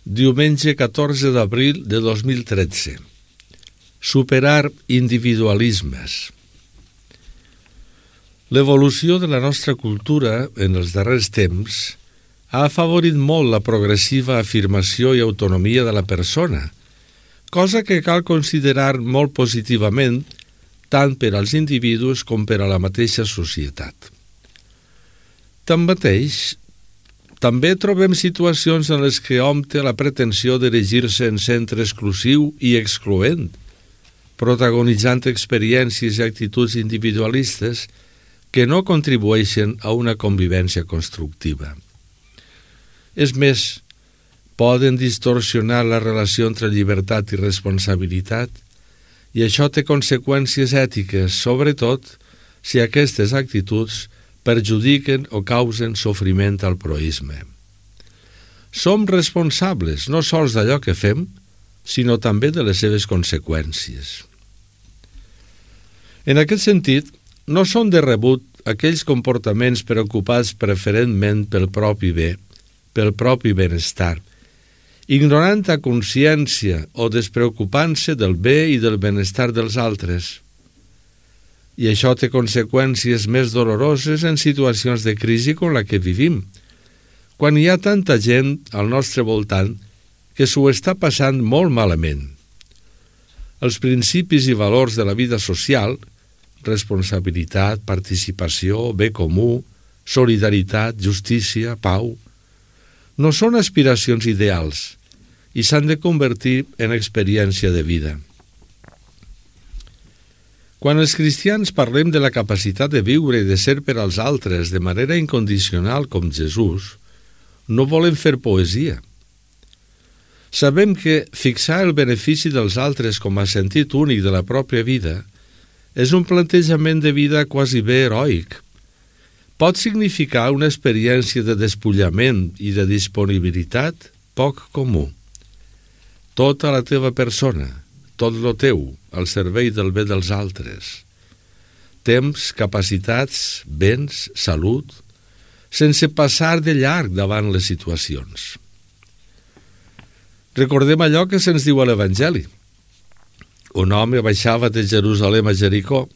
Diumenge 14 d'abril de 2013. Superar individualismes. L'evolució de la nostra cultura en els darrers temps ha afavorit molt la progressiva afirmació i autonomia de la persona, cosa que cal considerar molt positivament tant per als individus com per a la mateixa societat. Tanmateix, també trobem situacions en les que hom té la pretensió d'erigir-se en centre exclusiu i excloent, protagonitzant experiències i actituds individualistes que no contribueixen a una convivència constructiva. És més, poden distorsionar la relació entre llibertat i responsabilitat, i això té conseqüències ètiques, sobretot si aquestes actituds perjudiquen o causen sofriment al proisme. Som responsables no sols d'allò que fem, sinó també de les seves conseqüències. En aquest sentit, no són de rebut aquells comportaments preocupats preferentment pel propi bé, pel propi benestar, ignorant a consciència o despreocupant-se del bé i del benestar dels altres. I això té conseqüències més doloroses en situacions de crisi com la que vivim, quan hi ha tanta gent al nostre voltant que s'ho està passant molt malament. Els principis i valors de la vida social, responsabilitat, participació, bé comú, solidaritat, justícia, pau, no són aspiracions ideals i s'han de convertir en experiència de vida. Quan els cristians parlem de la capacitat de viure i de ser per als altres de manera incondicional com Jesús, no volem fer poesia. Sabem que fixar el benefici dels altres com a sentit únic de la pròpia vida és un plantejament de vida quasi bé heroic. Pot significar una experiència de despullament i de disponibilitat poc comú. Tota la teva persona, tot lo teu, al servei del bé dels altres. Temps, capacitats, béns, salut, sense passar de llarg davant les situacions. Recordem allò que se'ns diu a l'Evangeli. Un home baixava de Jerusalem a Jericó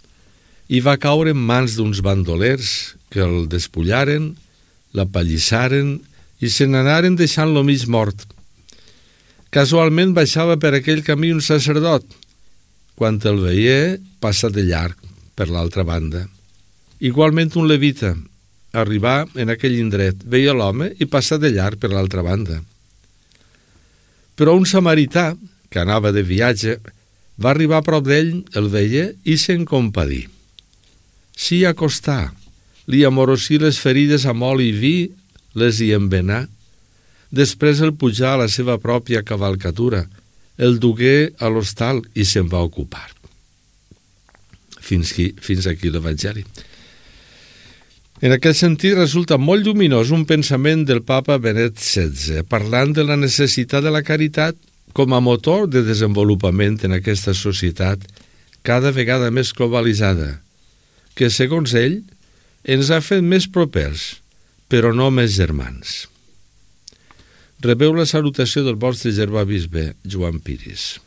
i va caure en mans d'uns bandolers que el despullaren, l'apallissaren i se n'anaren deixant-lo mig mort. Casualment baixava per aquell camí un sacerdot. Quan el veia, passa de llarg per l'altra banda. Igualment un levita. Arribà en aquell indret, veia l'home i passa de llarg per l'altra banda. Però un samarità, que anava de viatge, va arribar a prop d'ell, el veia i se'n compadí. S'hi acostà, li amorosí les ferides amb oli i vi, les hi envenà. Després el pujà a la seva pròpia cavalcatura, el dugué a l'hostal i se'n va ocupar. Fins aquí l'Evangeli. En aquest sentit resulta molt lluminós un pensament del papa Benet XVI, parlant de la necessitat de la caritat com a motor de desenvolupament en aquesta societat cada vegada més globalitzada, que, segons ell, ens ha fet més propers, però no més germans. Rebeu la salutació del vostre germà bisbe, Joan Piris.